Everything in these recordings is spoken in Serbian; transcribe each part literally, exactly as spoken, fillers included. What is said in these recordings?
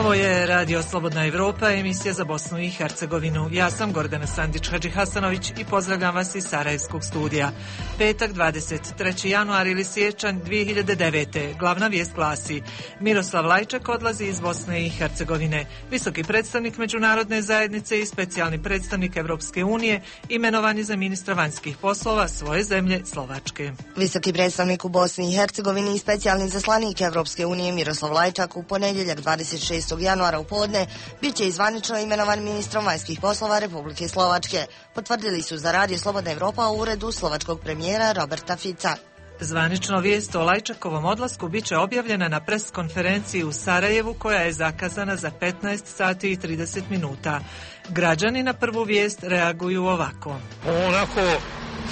Ovo je Radio Slobodna Evropa, emisija za Bosnu i Hercegovinu. Ja sam Gordana Sandić-Hadžihasanović i pozdravljam vas iz Sarajevskog studija. Petak, dvadeset treći januar ili siječanj dvije hiljade devete. Glavna vijest glasi: Miroslav Lajčak odlazi iz Bosne i Hercegovine. Visoki predstavnik međunarodne zajednice i specijalni predstavnik Evropske unije imenovan je za ministra vanjskih poslova svoje zemlje Slovačke. Visoki predstavnik u Bosni i Hercegovini i specijalni zaslanik Evropske unije Miroslav Lajčak u ponedjeljak dvadeset šestog januara u podne bit će zvanično imenovan ministrom vanjskih poslova Republike Slovačke, potvrdili su za Radio Slobodna Evropa u uredu slovačkog premijera Roberta Fica. Zvanično vijest o Lajčakovom odlasku bit će objavljena na pres konferenciji u Sarajevu koja je zakazana za petnaest sati i trideset minuta. Građani na prvu vijest reaguju ovako. Onako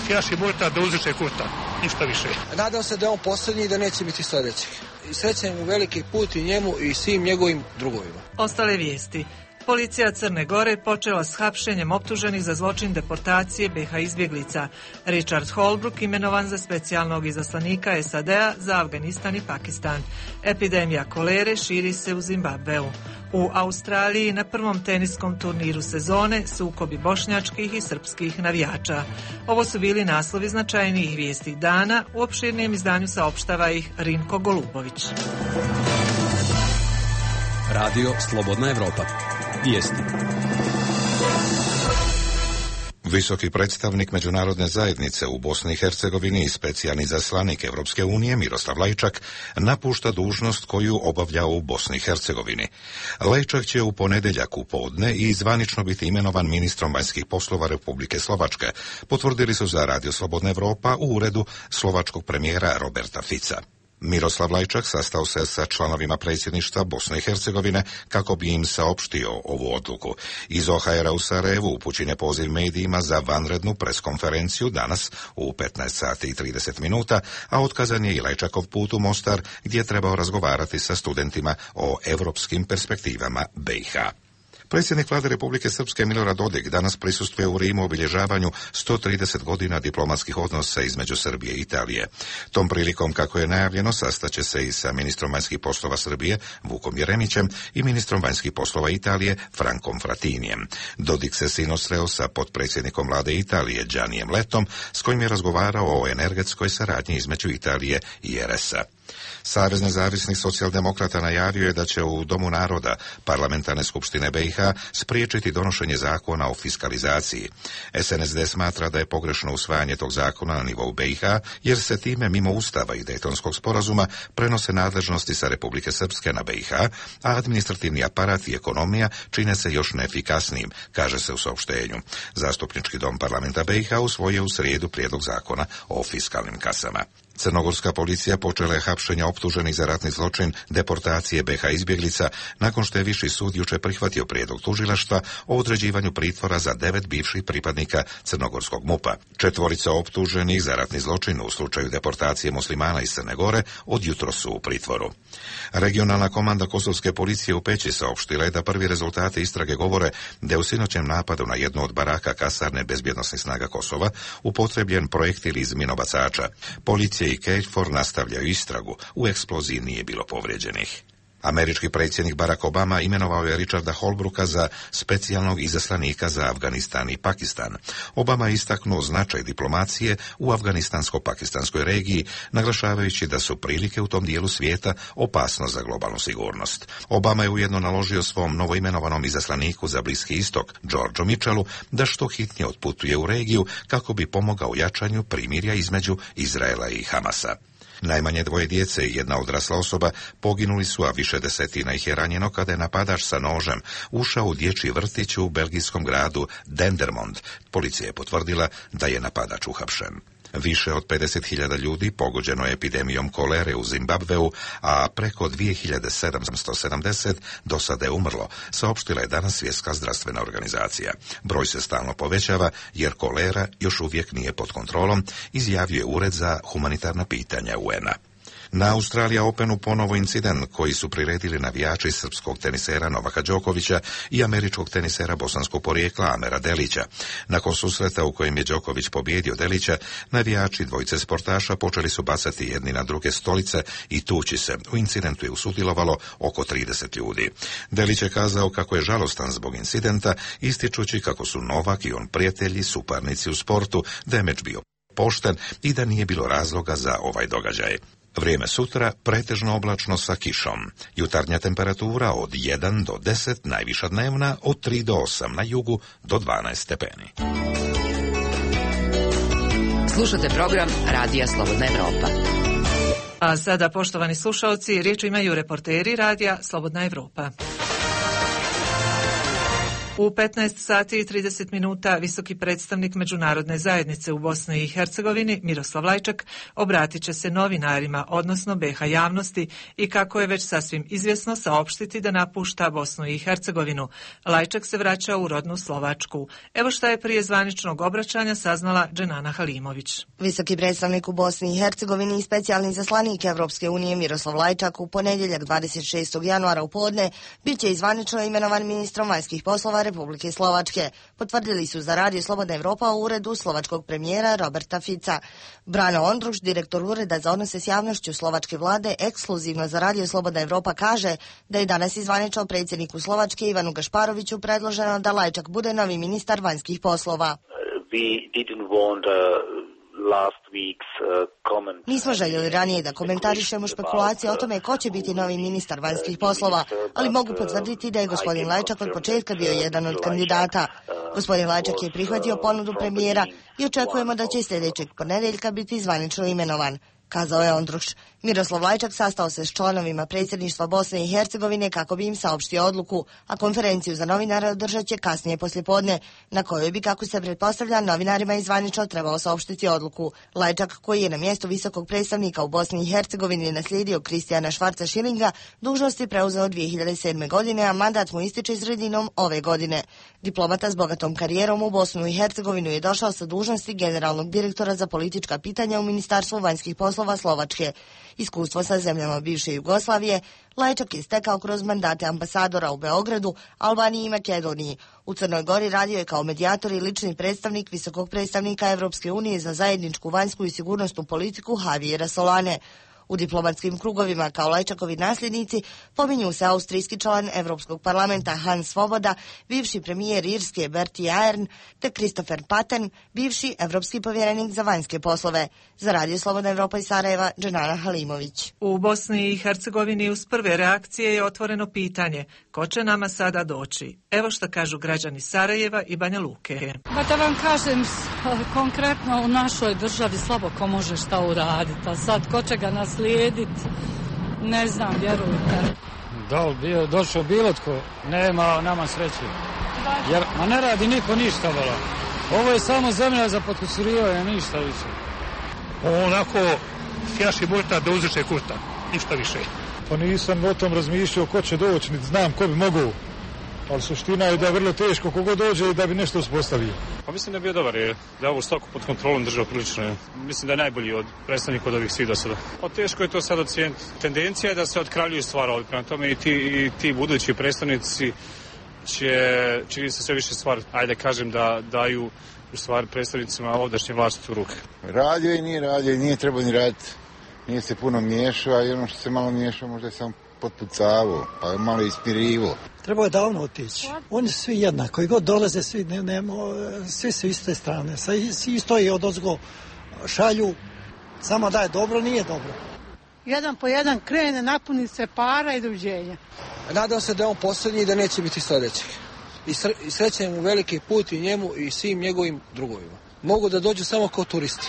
sjaši burta da uzreče kurta, ništa više. Nadam se da je on posljednji i da neće biti sljedećih. Srećem mu veliki put i njemu i svim njegovim drugovima. Ostale vijesti. Policija Crne Gore počela s hapšenjem optuženih za zločin deportacije be ha izbjeglica. Richard Holbrooke imenovan za specijalnog izaslanika es a de a za Afganistan i Pakistan. Epidemija kolere širi se u Zimbabveu. U Australiji na prvom teniskom turniru sezone sukobi bošnjačkih i srpskih navijača. Ovo su bili naslovi značajnijih vijesti dana, u opširnijem izdanju saopštava ih Rinko Golubović. Radio Slobodna Evropa. Vijesti. Visoki predstavnik međunarodne zajednice u Bosni i Hercegovini i specijalni zaslanik Evropske unije Miroslav Lajčak napušta dužnost koju obavlja u Bosni i Hercegovini. Lajčak će u ponedjeljak u podne i zvanično biti imenovan ministrom vanjskih poslova Republike Slovačke, potvrdili su za Radio Slobodna Evropa u uredu slovačkog premijera Roberta Fica. Miroslav Lajčak sastao se sa članovima predsjedništva Bosne i Hercegovine kako bi im saopštio ovu odluku. Iz o ha era u Sarajevu upućen je poziv medijima za vanrednu preskonferenciju danas u petnaest sati i trideset minuta, a otkazan je i Lajčakov put u Mostar gdje je trebao razgovarati sa studentima o evropskim perspektivama be i ha. Predsjednik vlade Republike Srpske Milorad Dodik danas prisustvuje u Rimu obilježavanju sto trideset godina diplomatskih odnosa između Srbije i Italije. Tom prilikom, kako je najavljeno, sastaće se i sa ministrom vanjskih poslova Srbije Vukom Jeremićem i ministrom vanjskih poslova Italije Frankom Fratinijem. Dodik se sinoć sreo sa potpredsjednikom vlade Italije Giannijem Lettom, s kojim je razgovarao o energetskoj saradnji između Italije i er es a. Savez nezavisnih socijaldemokrata najavio je da će u Domu naroda Parlamentarne skupštine be i ha spriječiti donošenje zakona o fiskalizaciji. es en es de smatra da je pogrešno usvajanje tog zakona na nivou be i ha, jer se time mimo Ustava i Dejtonskog sporazuma prenose nadležnosti sa Republike Srpske na be i ha, a administrativni aparat i ekonomija čine se još neefikasnijim, kaže se u saopštenju. Zastupnički dom parlamenta be i ha usvojio u srijedu prijedlog zakona o fiskalnim kasama. Crnogorska policija počela je hapšenje optuženih za ratni zločin deportacije be ha izbjeglica nakon što je Viši sud jučer prihvatio prijedlog tužilaštva o određivanju pritvora za devet bivših pripadnika crnogorskog mupa. Četvorica optuženih za ratni zločin u slučaju deportacije muslimana iz Crne Gore od jutros su u pritvoru. Regionalna komanda kosovske policije u Peći saopštila je da prvi rezultati istrage govore da je u sinoćem napadu na jednu od baraka kasarne bezbjednosnih snaga Kosova upotrebljen projektil iz minobacača. Policija i KFOR nastavljaju istragu, u eksploziji nije bilo povrijeđenih. Američki predsjednik Barack Obama imenovao je Richarda Holbrooka za specijalnog izaslanika za Afganistan i Pakistan. Obama je istaknuo značaj diplomacije u afganistansko-pakistanskoj regiji, naglašavajući da su prilike u tom dijelu svijeta opasnost za globalnu sigurnost. Obama je ujedno naložio svom novoimenovanom izaslaniku za Bliski istok, Georgeu Mitchellu, da što hitnije otputuje u regiju kako bi pomogao jačanju primirja između Izraela i Hamasa. Najmanje dvoje djece i jedna odrasla osoba poginuli su, a više desetina ih je ranjeno kada je napadač sa nožem ušao u dječji vrtić u belgijskom gradu Dendermonde. Policija je potvrdila da je napadač uhapšen. Više od pedeset hiljada ljudi pogođeno je epidemijom kolere u Zimbabveu, a preko dvije hiljade sedamsto sedamdeset do sada je umrlo, saopštila je danas Svjetska zdravstvena organizacija. Broj se stalno povećava jer kolera još uvijek nije pod kontrolom, izjavio je Ured za humanitarna pitanja u en a. Na Australija Openu ponovo incident koji su priredili navijači srpskog tenisera Novaka Đokovića i američkog tenisera bosanskog porijekla Amera Delića. Nakon susreta u kojem je Đoković pobjedio Delića, navijači dvojice sportaša počeli su bacati jedni na druge stolice i tući se. U incidentu je usudjelovalo oko trideset ljudi. Delić je kazao kako je žalostan zbog incidenta, ističući kako su Novak i on prijatelji, suparnici u sportu, da je meč bio pošten i da nije bilo razloga za ovaj događaj. Vrijeme sutra pretežno oblačno sa kišom. Jutarnja temperatura od jedan do deset, najviša dnevna od tri do osam, na jugu do dvanaest stepeni. Slušate program Radija Slobodna Evropa. A sada, poštovani slušalci, riječ imaju reporteri Radija Slobodna Evropa. U petnaest sati i trideset minuta visoki predstavnik međunarodne zajednice u Bosni i Hercegovini Miroslav Lajčak obratit će se novinarima, odnosno B H javnosti, i kako je već sasvim izvjesno saopštiti da napušta Bosnu i Hercegovinu. Lajčak se vraća u rodnu Slovačku. Evo šta je prije zvaničnog obraćanja saznala Dženana Halimović. Visoki predstavnik u Bosni i Hercegovini i specijalni zaslanik Evropske unije Miroslav Lajčak u ponedjeljak dvadeset šestog januara u podne bit će zvanično imenovan ministrom vanjskih poslova Republike Slovačke, potvrdili su za Radio Slobodna Evropa u uredu slovačkog premijera Roberta Fica. Brano Ondruš, direktor ureda za odnose s javnošću slovačke vlade, ekskluzivno za Radio Slobodna Evropa kaže da je danas izvanično predsjedniku Slovačke Ivanu Gašparoviću predloženo da Lajčak bude novi ministar vanjskih poslova. We didn't want uh... Nismo željeli ranije da komentarišemo špekulacije o tome ko će biti novi ministar vanjskih poslova, ali mogu potvrditi da je gospodin Lajčak od početka bio jedan od kandidata. Gospodin Lajčak je prihvatio ponudu premijera i očekujemo da će sljedećeg ponedjeljka biti zvanično imenovan, kazao je Ondruš. Miroslav Lajčak sastao se s članovima predsjedništva Bosne i Hercegovine kako bi im saopštio odluku, a konferenciju za novinare održat će kasnije poslijepodne, na kojoj bi, kako se pretpostavlja, novinarima izvanično trebao saopštiti odluku. Lajčak, koji je na mjestu visokog predstavnika u Bosni i Hercegovini naslijedio Kristijana Švarca Šilinga, dužnosti preuzeo dvije hiljade sedme. godine, a mandat mu ističe sredinom ove godine. Diplomata s bogatom karijerom u Bosnu i Hercegovinu je došao sa dužnosti generalnog direktora za politička pitanja u Ministarstvu vanjskih poslova Slovačke. Iskustvo sa zemljama bivše Jugoslavije Lajčak je stekao kroz mandate ambasadora u Beogradu, Albaniji i Makedoniji. U Crnoj Gori radio je kao medijator i lični predstavnik visokog predstavnika Evropske unije za zajedničku vanjsku i sigurnosnu politiku Javiera Solane. U diplomatskim krugovima kao Lajčakovi nasljednici pominju se austrijski član Evropskog parlamenta Hans Svoboda, bivši premijer Irske Bertie Ahern te Christopher Patten, bivši evropski povjerenik za vanjske poslove. Za Radio Slobodna Evropa iz Sarajeva, Dženana Halimović. U Bosni i Hercegovini uz prve reakcije je otvoreno pitanje ko će nama sada doći. Evo što kažu građani Sarajeva i Banja Luke. Pa da vam kažem, konkretno u našoj državi slabo ko može šta uraditi, a sad ko će ga naslijediti, ne znam, vjerujte. Da li bio, došao bilo tko, nema nama sreće. Jer, ma ne radi niko ništa, vala. Ovo je samo zemlja za potkusurivanje, ništa više. Onako, fjaši burta da uzreče kurta, ništa više. Pa nisam o tom razmišljao ko će doći, niti znam ko bi mogao. Ali suština je da je vrlo teško kogo dođe i da bi nešto uspostavio. Pa mislim da je bio dobar, je da je ovu stoku pod kontrolom držao prilično. Mislim da je najbolji od predstavnika od ovih svih do sada. Pa teško je to sad ocijeniti. Tendencija je da se otkraljuju stvari ovdje. Prema tome i ti, i ti budući predstavnici će, čini se sve više stvari, ajde kažem, da daju u stvari predstavnicima ovdašnje vlasti u ruke. Radio i nije radio i nije trebao ni raditi. Nije se puno miješao, i ono što se malo miješao možda je samo potpucavo, pa je malo ispirivo. Trebao je davno otići. Oni su svi jednako, koji god dolaze, svi, ne, ne, svi su iste strane. Svi stoji od ozgo šalju, samo da je dobro, nije dobro. Jedan po jedan krene, napuni se para i doviđenja. Nadam se da je on posljednji i da neće biti sljedećih. I, sre, i srećem mu veliki put i njemu i svim njegovim drugovima. Mogu da dođu samo kao turisti.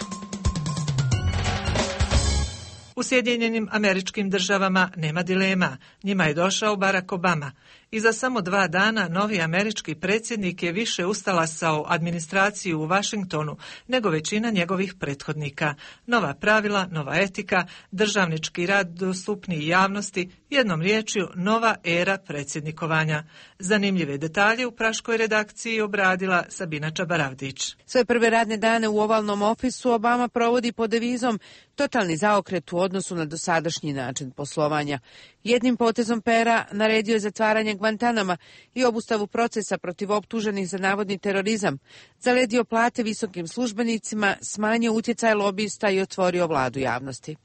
U Sjedinjenim Američkim Državama nema dilema. Njima je došao Barack Obama. I za samo dva dana novi američki predsjednik je više ustalasao administraciju u Vašingtonu nego većina njegovih prethodnika. Nova pravila, nova etika, državnički rad dostupniji javnosti, jednom riječju nova era predsjednikovanja. Zanimljive detalje u praškoj redakciji obradila Sabina Čabaravdić. Svoje prve radne dane u ovalnom ofisu Obama provodi pod devizom totalni zaokret u odnosu na dosadašnji način poslovanja. Jednim potezom pera naredio je zatvaranje Guantanama i obustavu procesa protiv optuženih za navodni terorizam, zaledio plate visokim službenicima, smanjio utjecaj lobista i otvorio vladu javnosti.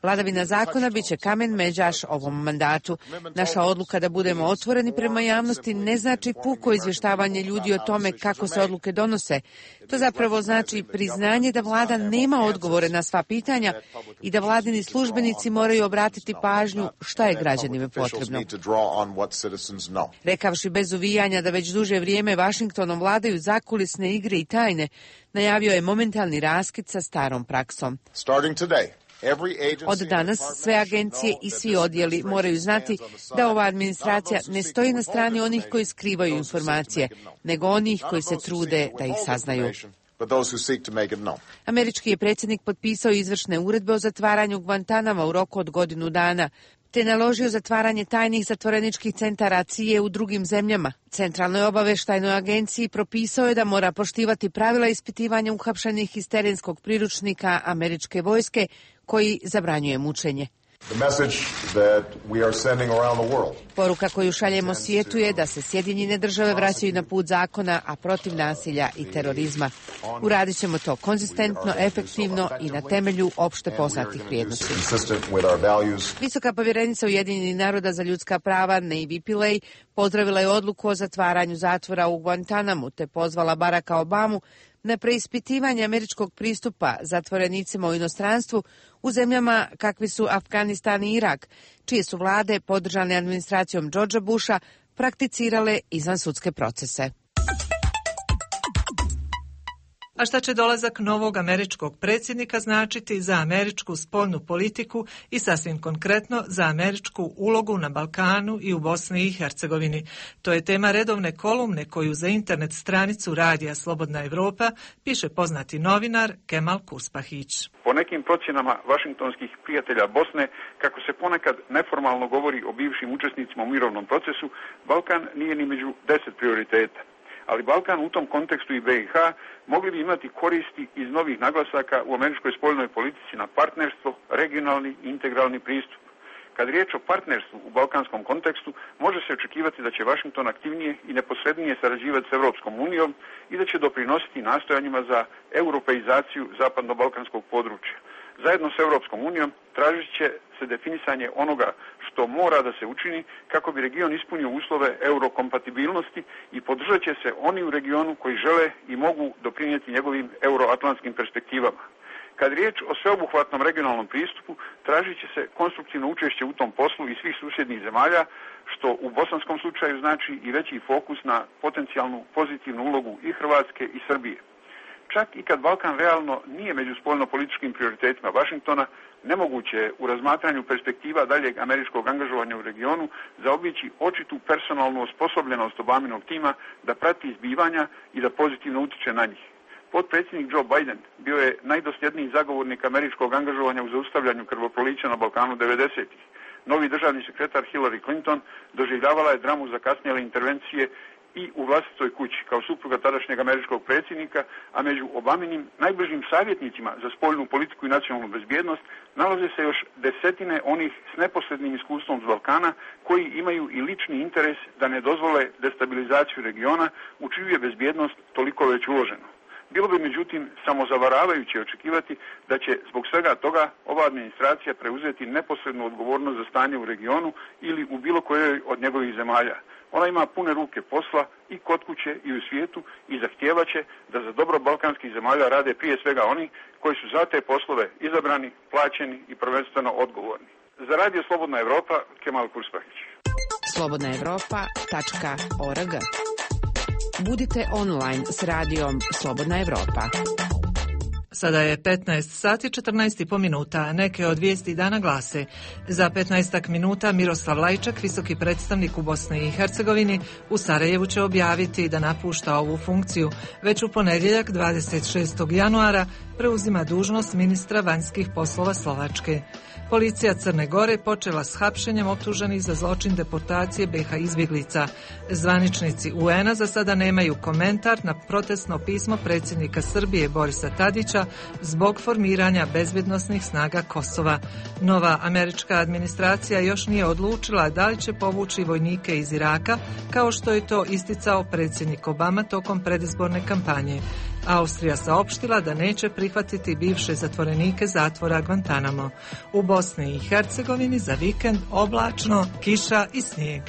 Vladavina zakona biće kamen međaš ovom mandatu. Naša odluka da budemo otvoreni prema javnosti ne znači puko izvještavanje ljudi o tome kako se odluke donose. To zapravo znači priznanje da vlada nema odgovore na sva pitanja i da vladini službenici moraju obratiti pažnju šta je građanima potrebno. Rekavši bez uvijanja da već duže vrijeme Vašingtonom vladaju zakulisne igre i tajne, najavio je momentalni raskid sa starom praksom. Od danas sve agencije i svi odjeli moraju znati da ova administracija ne stoji na strani onih koji skrivaju informacije, nego onih koji se trude da ih saznaju. Američki je predsjednik potpisao izvršne uredbe o zatvaranju Guantanama u roku od godinu dana, te naložio zatvaranje tajnih zatvoreničkih centara C I A u drugim zemljama. Centralnoj obavještajnoj agenciji propisao je da mora poštivati pravila ispitivanja uhapšenih iz terenskog priručnika američke vojske koji zabranjuje mučenje. Poruka koju šaljemo svijetu je da se Sjedinjene države vraćaju na put zakona, a protiv nasilja i terorizma. Uradit ćemo to konzistentno, efektivno i na temelju opšte poznatih vrijednosti. Visoka povjerenica Ujedinjenih naroda za ljudska prava Navy Pillay pozdravila je odluku o zatvaranju zatvora u Guantanamu te pozvala Baracka Obamu na preispitivanje američkog pristupa zatvorenicima u inostranstvu u zemljama kakvi su Afganistan i Irak, čije su vlade, podržane administracijom Georgea Busha, prakticirale izvansudske procese. A šta će dolazak novog američkog predsjednika značiti za američku spoljnu politiku i sasvim konkretno za američku ulogu na Balkanu i u Bosni i Hercegovini? To je tema redovne kolumne koju za internet stranicu Radija Slobodna Evropa piše poznati novinar Kemal Kuspahić. Po nekim procjenama vašingtonskih prijatelja Bosne, kako se ponekad neformalno govori o bivšim učesnicima u mirovnom procesu, Balkan nije ni među deset prioriteta. Ali Balkan u tom kontekstu i B i H mogli bi imati koristi iz novih naglasaka u američkoj spoljnoj politici na partnerstvo, regionalni i integralni pristup. Kad riječ o partnerstvu u balkanskom kontekstu, može se očekivati da će Washington aktivnije i neposrednije sarađivati s Europskom unijom i da će doprinositi nastojanjima za europeizaciju zapadno-balkanskog područja. Zajedno s Europskom unijom tražit će se definisanje onoga što mora da se učini kako bi region ispunio uslove eurokompatibilnosti i podržat će se oni u regionu koji žele i mogu doprinijeti njegovim euroatlantskim perspektivama. Kad riječ o sveobuhvatnom regionalnom pristupu, tražit će se konstruktivno učešće u tom poslu i svih susjednih zemalja, što u bosanskom slučaju znači i veći fokus na potencijalnu pozitivnu ulogu i Hrvatske i Srbije. Čak i kad Balkan realno nije među spoljno-političkim prioritetima Washingtona, nemoguće je u razmatranju perspektiva daljeg američkog angažovanja u regionu zaobići očitu personalnu osposobljenost Obaminog tima da prati izbivanja i da pozitivno utiče na njih. Potpredsjednik Joe Biden bio je najdosljedniji zagovornik američkog angažovanja u zaustavljanju krvoprolića na Balkanu devedesetih. Novi državni sekretar Hillary Clinton doživljavala je dramu zakasnjele intervencije i u vlastitoj kući kao supruga tadašnjeg američkog predsjednika, a među Obaminim najbližim savjetnicima za spoljnu politiku i nacionalnu bezbjednost nalaze se još desetine onih s neposrednim iskustvom s Balkana koji imaju i lični interes da ne dozvole destabilizaciju regiona u čiju je bezbjednost toliko već uloženo. Bilo bi međutim samozavaravajuće očekivati da će zbog svega toga ova administracija preuzeti neposrednu odgovornost za stanje u regionu ili u bilo kojoj od njegovih zemalja. Ona ima pune ruke posla i kod kuće i u svijetu i zahtijevaće da za dobro balkanskih zemalja rade prije svega oni koji su za te poslove izabrani, plaćeni i prvenstveno odgovorni. Za Radio Slobodna Evropa, Kemal Kuspahić. slobodna evropa tačka org. Budite online s radijom Slobodna Evropa. Sada je petnaest sati četrnaest i po minuta. Neke od vijesti dana glase: za petnaestak minuta Miroslav Lajčak, visoki predstavnik u Bosni i Hercegovini, u Sarajevu će objaviti da napušta ovu funkciju. Već u ponedjeljak dvadeset šestog januara preuzima dužnost ministra vanjskih poslova Slovačke. Policija Crne Gore počela s hapšenjem optuženih za zločin deportacije be ha izbjeglica. Zvaničnici u en a za sada nemaju komentar na protestno pismo predsjednika Srbije Borisa Tadića zbog formiranja bezbjednosnih snaga Kosova. Nova američka administracija još nije odlučila da li će povući vojnike iz Iraka, kao što je to isticao predsjednik Obama tokom predizborne kampanje. Austrija saopštila da neće prihvatiti bivše zatvorenike zatvora Guantanamo. U Bosni i Hercegovini za vikend oblačno, kiša i snijeg.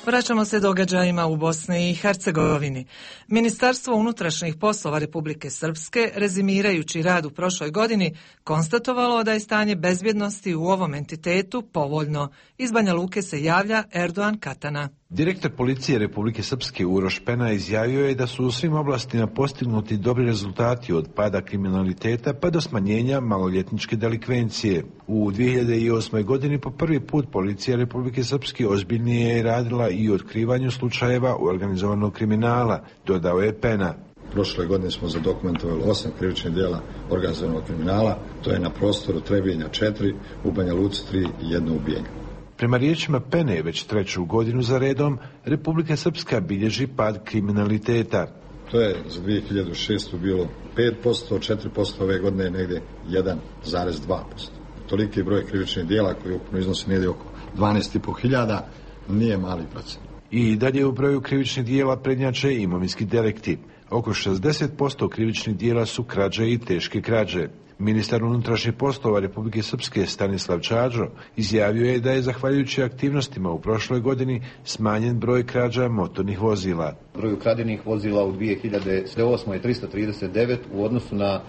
Vraćamo se događajima u Bosni i Hercegovini. Ministarstvo unutrašnjih poslova Republike Srpske, rezimirajući rad u prošloj godini, konstatovalo da je stanje bezbjednosti u ovom entitetu povoljno. Iz Banja Luke se javlja Erdogan Katana. Direktor policije Republike Srpske Uroš Pena izjavio je da su u svim oblastima postignuti dobri rezultati od pada kriminaliteta pa do smanjenja maloljetničke delikvencije. U dvije hiljade osmoj. godini po prvi put policija Republike Srpske ozbiljnije je radila i u otkrivanju slučajeva organizovanog kriminala, dodao je Pena. Prošle godine smo zadokumentovali osam krivičnih djela organizovanog kriminala, to je na prostoru Trebinja četiri, u Banja Luci tri i jedno ubijenje. Prema riječima Pene, već treću godinu za redom, Republika Srpska bilježi pad kriminaliteta. To je za dvije hiljade šestu. bilo pet posto, četiri posto ove godine je negdje jedan zarez dva posto. Toliki broj krivičnih djela koji ukupno iznosi negdje oko dvanaest i pol hiljada nije mali procent. I dalje u broju krivičnih djela prednjače imovinski delikti. Oko šezdeset posto krivičnih djela su krađe i teške krađe. Ministar unutrašnjih poslova Republike Srpske Stanislav Čađo izjavio je da je zahvaljujući aktivnostima u prošloj godini smanjen broj krađa motornih vozila. Broj ukradenih vozila u dvije hiljade osmoj. je tristo trideset devet u odnosu na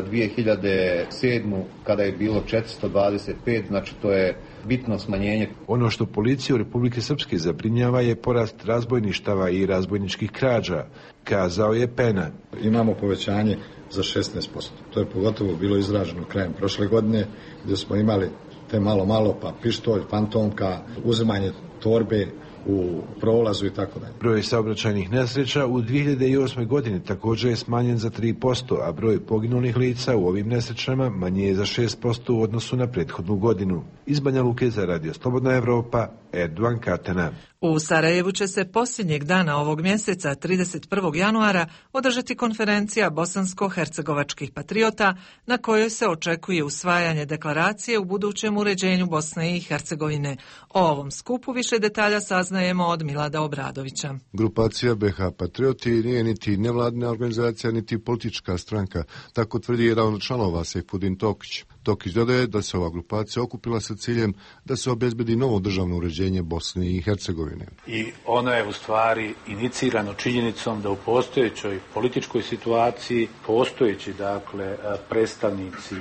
dvije hiljade sedmu. kada je bilo četiristo dvadeset pet, znači to je bitno smanjenje. Ono što policiju Republike Srpske zabrinjava je porast razbojništava i razbojničkih krađa, kazao je Pena. Imamo povećanje za šesnaest posto. To je pogotovo bilo izraženo krajem prošle godine, gdje smo imali te malo malo pa pištolj, fantomka, uzimanje torbe u prolazu i tako dalje. Broj saobraćajnih nesreća u dvije hiljade osmoj. godini također je smanjen za tri posto, a broj poginulih lica u ovim nesrećama manje je za šest posto u odnosu na prethodnu godinu. Iz Banja Luke za Radio Slobodna Evropa, Erdogan Katana. U Sarajevu će se posljednjeg dana ovog mjeseca, trideset prvog januara, održati konferencija bosansko-hercegovačkih patriota na kojoj se očekuje usvajanje deklaracije u budućem uređenju Bosne i Hercegovine. O ovom skupu više detalja saznajemo od Milada Obradovića. Grupacija be ha Patrioti nije niti nevladina organizacija, niti politička stranka, tako tvrdi jedan od članova Sejfudin Tokić. Tokić dodaje da se ova grupacija okupila sa ciljem da se obezbedi novo državno uređenje Bosne i Hercegovine. I ono je u stvari inicirano činjenicom da u postojećoj političkoj situaciji postojeći dakle predstavnici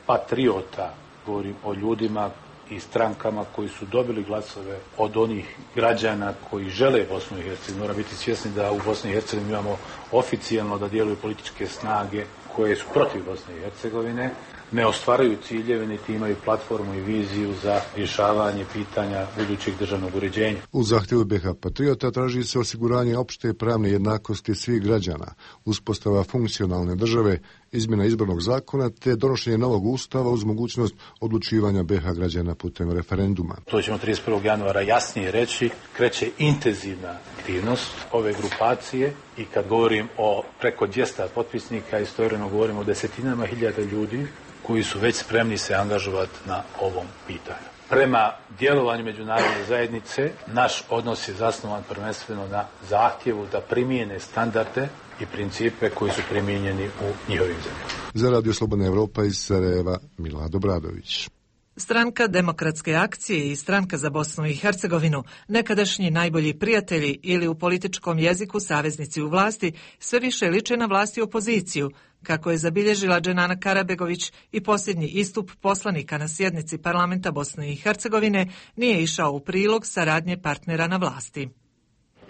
patriota, govorim o ljudima i strankama koji su dobili glasove od onih građana koji žele Bosnu i Hercegovinu. Mora biti svjesni da u Bosni i Hercegovini imamo oficijalno da djeluju političke snage koje su protiv Bosne i Hercegovine, ne ostvaraju ciljeve niti imaju platformu i viziju za rješavanje pitanja budućeg državnog uređenja. U zahtjevu be ha Patriota traži se osiguranje opšte pravne jednakosti svih građana, uspostava funkcionalne države, izmjena izbornog zakona te donošenje novog ustava uz mogućnost odlučivanja be ha građana putem referenduma. To ćemo trideset prvog januara jasnije reći, kreće intenzivna aktivnost ove grupacije i kad govorim o preko dvjesto potpisnika, istovremeno govorimo o desetinama hiljada ljudi koji su već spremni se angažovati na ovom pitanju. Prema djelovanju međunarodne zajednice, naš odnos je zasnovan prvenstveno na zahtjevu da primijene standarde i principe koji su primijenjeni u njihovim zemljama. Za Radio Slobodna Evropa iz Sarajeva, Milad Obradović. Stranka Demokratske akcije i Stranka za Bosnu i Hercegovinu, nekadašnji najbolji prijatelji ili u političkom jeziku saveznici u vlasti, sve više liče na vlast i opoziciju, kako je zabilježila Dženana Karabegović i posljednji istup poslanika na sjednici parlamenta Bosne i Hercegovine nije išao u prilog saradnje partnera na vlasti.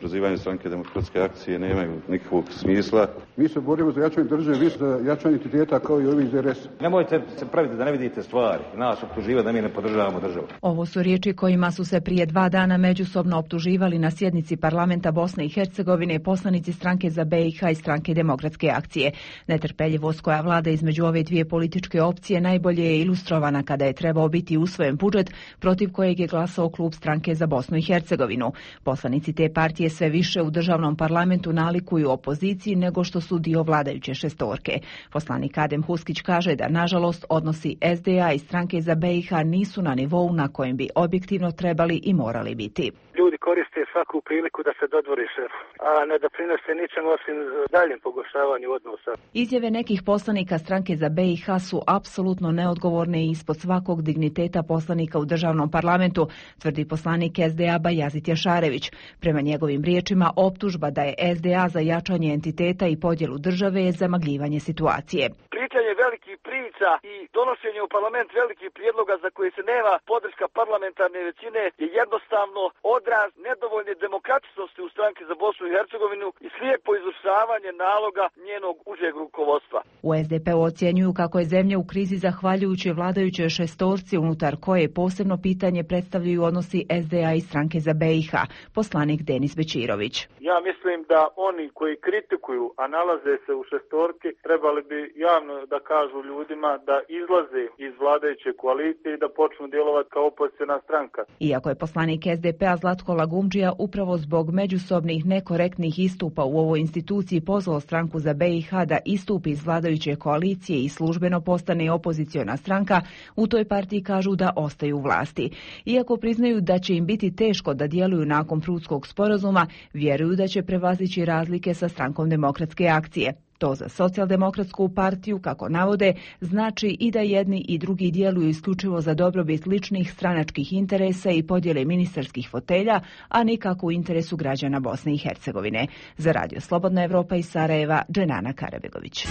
prozivanje stranke Demokratske akcije nemaju nikakvog smisla. Mi se borimo za jačanje države, vi za jačanje entiteta kao i ovi iz R S. Nemojte se praviti da ne vidite stvari, nas optuživati da mi ne podržavamo državu. Ovo su riječi kojima su se prije dva dana međusobno optuživali na sjednici parlamenta Bosne i Hercegovine poslanici stranke za B i H i stranke Demokratske akcije. Netrpeljivost koja vlada između ove dvije političke opcije najbolje je ilustrovana kada je trebao biti usvojen budžet protiv kojeg je glasao klub stranke za Bosnu i Hercegovinu. Poslanici te partije sve više u državnom parlamentu nalikuju opoziciji nego što su dio vladajuće šestorke. Poslanik Adem Huskić kaže da nažalost odnosi S D A i stranke za B i H nisu na nivou na kojem bi objektivno trebali i morali biti. Ljudi koriste svaku priliku da se dodvore šefu, a ne doprinose ničemu osim daljem pogoršavanju odnosa. Izjave nekih poslanika stranke za B i H su apsolutno neodgovorne i ispod svakog digniteta poslanika u državnom parlamentu, tvrdi poslanik S D A Bajazit Jašarević. Prema njegovim riječima, optužba da je S D A za jačanje entiteta i podjelu države je zamagljivanje situacije. Pričanje velikih priča i donošenje u parlament velikih prijedloga za koje se nema podrška parlamentarne većine je jednostavno odraz nedovoljne demokratičnosti u stranki za Bosnu i Hercegovinu i slijepo izvršavanje naloga njenog užeg rukovodstva. U S D P-u ocjenjuju kako je zemlja u krizi zahvaljujući vladajućoj šestorci unutar koje posebno pitanje predstavljaju odnosi S D A i stranke za B i H. Poslanik Denis Bečirović. Ja mislim da oni koji kritikuju, a nalaze se u šestorki, trebali bi javno da kažu ljudima da izlaze iz vladajuće koalicije i da počnu djelovati kao opoziciona stranka. Iako je poslanik S D P-a Zlatko Lagumdžija upravo zbog međusobnih nekorektnih istupa u ovoj instituciji pozvao stranku za B i H da istupi iz vladajuće koalicije i službeno postane opoziciona stranka, u toj partiji kažu da ostaju u vlasti. Iako priznaju da će im biti teško da djeluju nakon Prudskog sporazuma, vjeruju da će prevazići razlike sa strankom Demokratske akcije. To za socijaldemokratsku partiju, kako navode, znači i da jedni i drugi djeluju isključivo za dobrobit ličnih stranačkih interesa i podjele ministarskih fotelja, a nikako u interesu građana Bosne i Hercegovine. Za Radio Slobodna Evropa iz Sarajeva, Dženana Karabegović.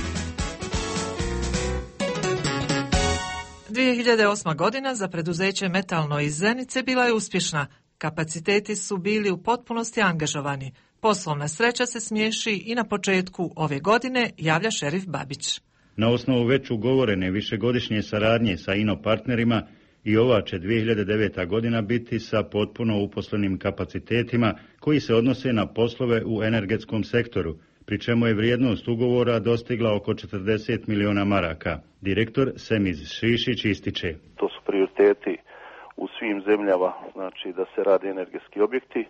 dvije hiljade osma. godina za preduzeće Metalno iz Zenice bila je uspješna. Kapaciteti su bili u potpunosti angažovani. Poslovna sreća se smiješi i na početku ove godine, javlja šerif Babić. Na osnovu već ugovorene višegodišnje saradnje sa ino partnerima i ova će dvije hiljade deveta. godina biti sa potpuno uposlenim kapacitetima koji se odnose na poslove u energetskom sektoru, pri čemu je vrijednost ugovora dostigla oko četrdeset miliona maraka. Direktor Semiz Šišić ističe. To su prioriteti u svim zemljama, znači da se rade energetski objekti.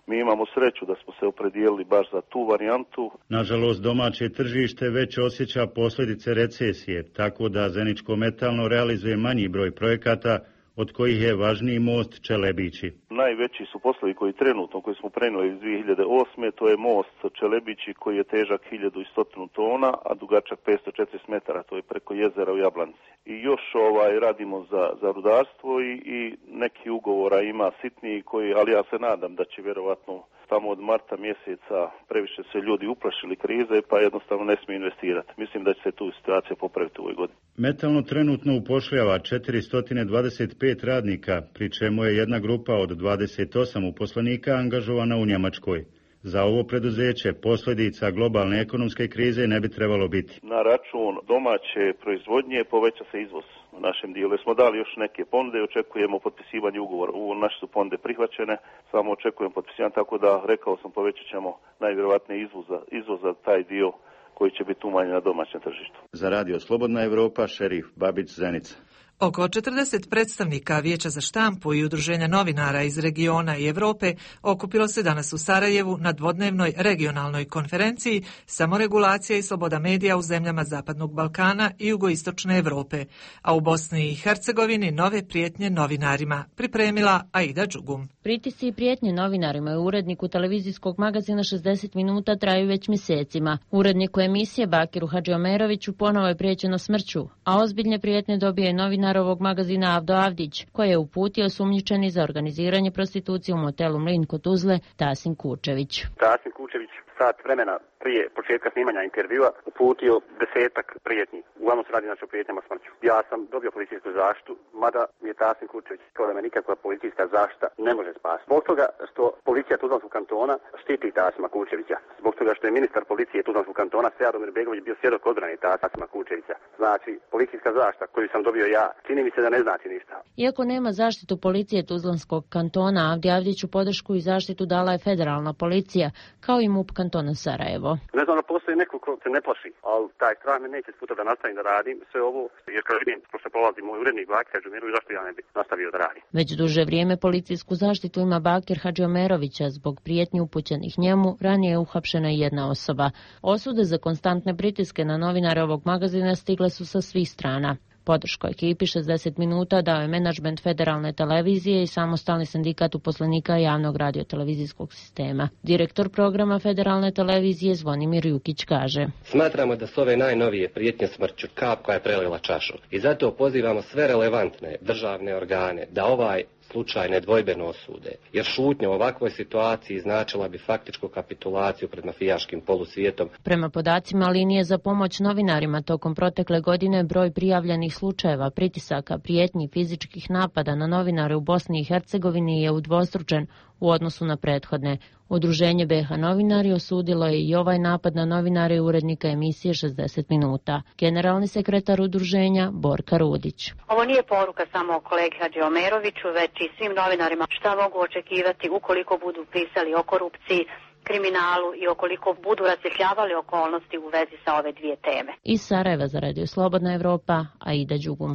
Mi imamo sreću da smo se opredijelili baš za tu varijantu. Nažalost, domaće tržište već osjeća posljedice recesije, tako da Zeničko metalno realizuje manji broj projekata, od kojih je važniji most Čelebići. Najveći su poslovi koji trenutno, koji smo prenijeli iz dvije hiljade osme. To je most Čelebići koji je težak hiljadu sto tona, a dugačak petsto četrdeset metara, to je preko jezera u Jablanci. I još ovaj radimo za, za rudarstvo i, i neki ugovora ima sitniji, koji, ali ja se nadam da će vjerovatno tamo od marta mjeseca previše se ljudi uplašili krize, pa jednostavno ne smiju investirati. Mislim da će se tu situacija popraviti u ovoj godini. Metalno trenutno upošljava četiristo dvadeset pet radnika, pri čemu je jedna grupa od dvadeset osam uposlenika angažovana u Njemačkoj. Za ovo preduzeće posljedica globalne ekonomske krize ne bi trebalo biti. Na račun domaće proizvodnje poveća se izvoz u našem dijelu. Smo dali još neke ponude, očekujemo potpisivanje ugovora. U naše su ponude prihvaćene, samo očekujemo potpisivanje, tako da rekao sam povećat ćemo najvjerovatnije izvoza, izvoza taj dio koji će biti umanjen na domaćem tržištu. Za Radio Slobodna Evropa, šerif Babić, Zenica. Oko četrdeset predstavnika Vijeća za štampu i udruženja novinara iz regiona i Europe okupilo se danas u Sarajevu na dvodnevnoj regionalnoj konferenciji Samoregulacija i sloboda medija u zemljama Zapadnog Balkana i jugoistočne Europe, a u Bosni i Hercegovini nove prijetnje novinarima, pripremila Aida Đugum. Pritisci i prijetnje novinarima i uredniku televizijskog magazina šezdeset minuta traju već mjesecima. Uredniku emisije Bakiru Hadžiomeroviću ponovo je prijećeno smrću, a ozbiljne prijetnje dobije novinar novinar ovog magazina Avdo Avdić, koji je uputio sumnjičeni za organiziranje prostitucije u motelu Mlin kod Tuzle Tasin Kučević. Tasin Kučević sat vremena prije početka snimanja intervjua uputio desetak prijetnji. Uglavnom se radi znači o prijetnjama smrću. Ja sam dobio policijsku zaštitu, mada mi je Tasin Kučević kao da me nikakva policijska zaštita ne može spasiti. Zbog toga što policija Tuzlanskog kantona štiti Tasima Kučevića. Zbog toga što je ministar policije Tuzlanskog kantona Seadomir Begović bio svjedok odbrane Tasima Kučevića. Znači, policijska zaštita koju sam dobio ja, čini mi se da ne znači ništa. Iako nema zaštitu policije Tuzlanskog kantona, Avdi Avdiću podršku i zaštitu dala je federalna policija, kao i MUP kantona Sarajevo. Ne znam da postoji neko ko se ne plaši, ali taj strah me neće sputa da nastavim da radim sve ovo, jer kad vidim što prolazi moj urednik Bakir Hadžiomerović, zašto ja ne bi nastavio da radim. Već duže vrijeme policijsku zaštitu ima Bakir Hadžiomerovića. Zbog prijetnji upućenih njemu ranije je uhapšena i jedna osoba. Osude za konstantne pritiske na novinare ovog magazina stigle su sa svih strana. Podršku ekipi šezdeset minuta dao je menadžment federalne televizije i samostalni sindikat uposlenika javnog radiotelevizijskog sistema. Direktor programa federalne televizije Zvonimir Jukić kaže: Smatramo da su ove najnovije prijetnje smrću kap koja je prelila čašu i zato pozivamo sve relevantne državne organe da ovaj slučaj nedvojbeno osude, jer šutnja u ovakvoj situaciji značila bi faktičku kapitulaciju pred mafijaškim polusvijetom. Prema podacima linije za pomoć novinarima, tokom protekle godine broj prijavljenih slučajeva pritisaka, prijetnji, fizičkih napada na novinare u Bosni i Hercegovini je udvostručen u odnosu na prethodne. Udruženje B H Novinari osudilo je i ovaj napad na novinare i urednika emisije šezdeset minuta. Generalni sekretar udruženja Borka Rudić. Ovo nije poruka samo kolegi Hadžiomeroviću, već i svim novinarima šta mogu očekivati ukoliko budu pisali o korupciji, kriminalu i ukoliko budu rasvjetljavali okolnosti u vezi sa ove dvije teme. Iz Sarajeva za Radio Slobodna Evropa, Aida Đugum.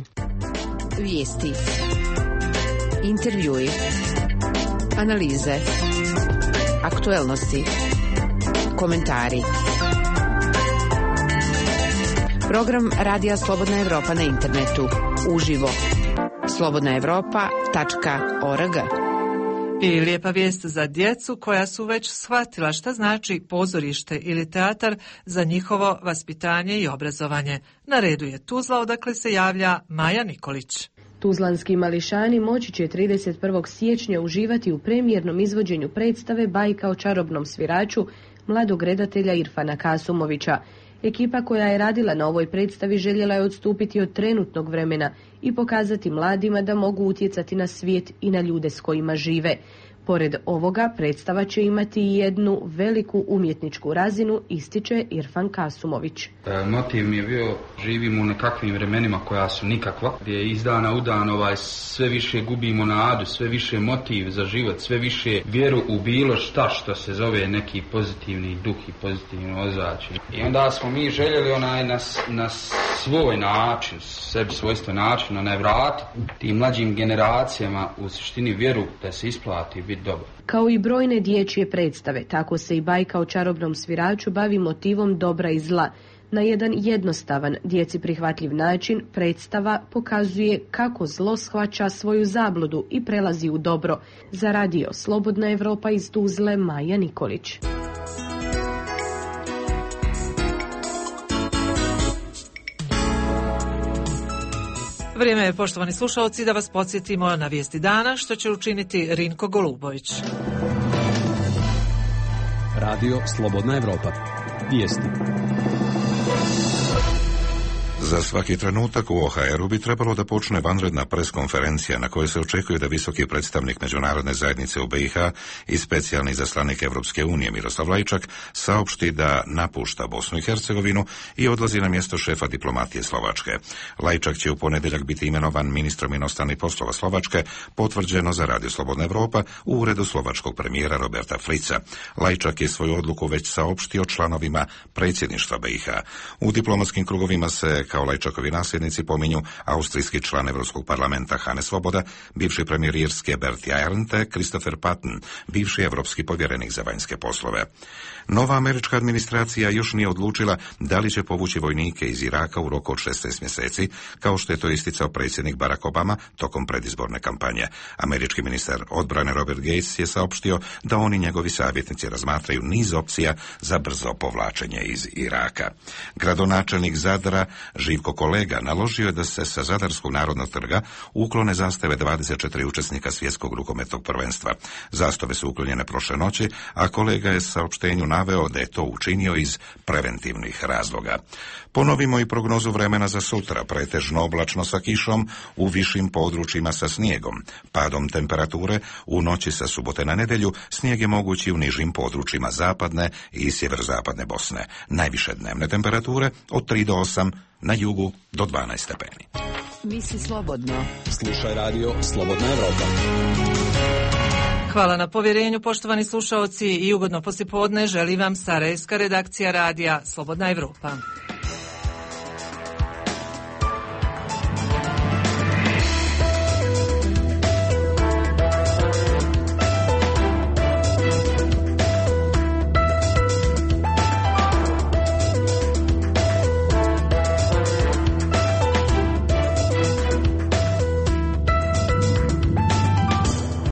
Vijesti, intervjui, analize, aktuelnosti, komentari. Program Radija Slobodna Evropa na internetu. Uživo. slobodna evropa tačka org. I lijepa vijest za djecu koja su već shvatila šta znači pozorište ili teatar za njihovo vaspitanje i obrazovanje. Na redu je Tuzla, odakle se javlja Maja Nikolić. Tuzlanski mališani moći će trideset prvog siječnja uživati u premijernom izvođenju predstave Bajka o čarobnom sviraču mladog redatelja Irfana Kasumovića. Ekipa koja je radila na ovoj predstavi željela je odstupiti od trenutnog vremena i pokazati mladima da mogu utjecati na svijet i na ljude s kojima žive. Pored ovoga, predstava će imati i jednu veliku umjetničku razinu, ističe Irfan Kasumović. E, motiv mi je bio, živimo u nekakvim vremenima koja su nikakva, gdje iz dana u dan ovaj, sve više gubimo nadu, sve više motiv za život, sve više vjeru u bilo šta što se zove neki pozitivni duh i pozitivno ozračje. I onda smo mi željeli onaj na, na svoj način, sebi svojstven način, onaj vratiti tim mlađim generacijama u suštini vjeru da se isplati biti dobro. Kao i brojne dječje predstave, tako se i Bajka o čarobnom sviraču bavi motivom dobra i zla. Na jedan jednostavan, djeci prihvatljiv način predstava pokazuje kako zlo shvaća svoju zabludu i prelazi u dobro. Za Radio Slobodna Evropa iz Tuzle, Maja Nikolić. Vrijeme je, poštovani slušalci, da vas podsjetimo na vijesti dana, što će učiniti Rinko Golubović. Radio Slobodna Evropa. Vijesti. Za svaki trenutak u O H R-u bi trebalo da počne vanredna preskonferencija na kojoj se očekuje da visoki predstavnik međunarodne zajednice u B i H i specijalni izaslanik Evropske unije Miroslav Lajčak saopšti da napušta Bosnu i Hercegovinu i odlazi na mjesto šefa diplomatije Slovačke. Lajčak će u ponedjeljak biti imenovan ministrom inostranih poslova Slovačke, potvrđeno za Radio Slobodna Evropa u uredu slovačkog premijera Roberta Frica. Lajčak je svoju odluku već saopštio članovima predsjedništva B i H. U diplomatskim krugovima se kao Lajčakovi nasljednici pominju austrijski član Evropskog parlamenta Hane Svoboda, bivši premijer Irske Bert Jagland te Christopher Patten, bivši evropski povjerenik za vanjske poslove. Nova američka administracija još nije odlučila da li će povući vojnike iz Iraka u roku od šesnaest mjeseci, kao što je to isticao predsjednik Barack Obama tokom predizborne kampanje. Američki ministar odbrane Robert Gates je saopštio da oni njegovi savjetnici razmatraju niz opcija za brzo povlačenje iz Iraka. Gradonačelnik Zadra Živko Kolega naložio je da se sa Zadarskog narodnog trga uklone zastave dvadeset četiri učesnika svjetskog rukometnog prvenstva. Zastave su uklonjene prošle noći, a Kolega je saopštenju naveo da je to učinio iz preventivnih razloga. Ponovimo i prognozu vremena za sutra, pretežno oblačno sa kišom, u višim područjima sa snijegom. Padom temperature u noći sa subote na nedjelju snijeg je mogući u nižim područjima zapadne i sjeverozapadne Bosne. Najviše dnevne temperature od tri do osam, na jugu do dvanaest stepeni. Misli slobodno. Slušaj radio Slobodna Evropa. Hvala na povjerenju, poštovani slušaoci, i ugodno poslijepodne želi vam sarajevska redakcija radija Slobodna Evropa.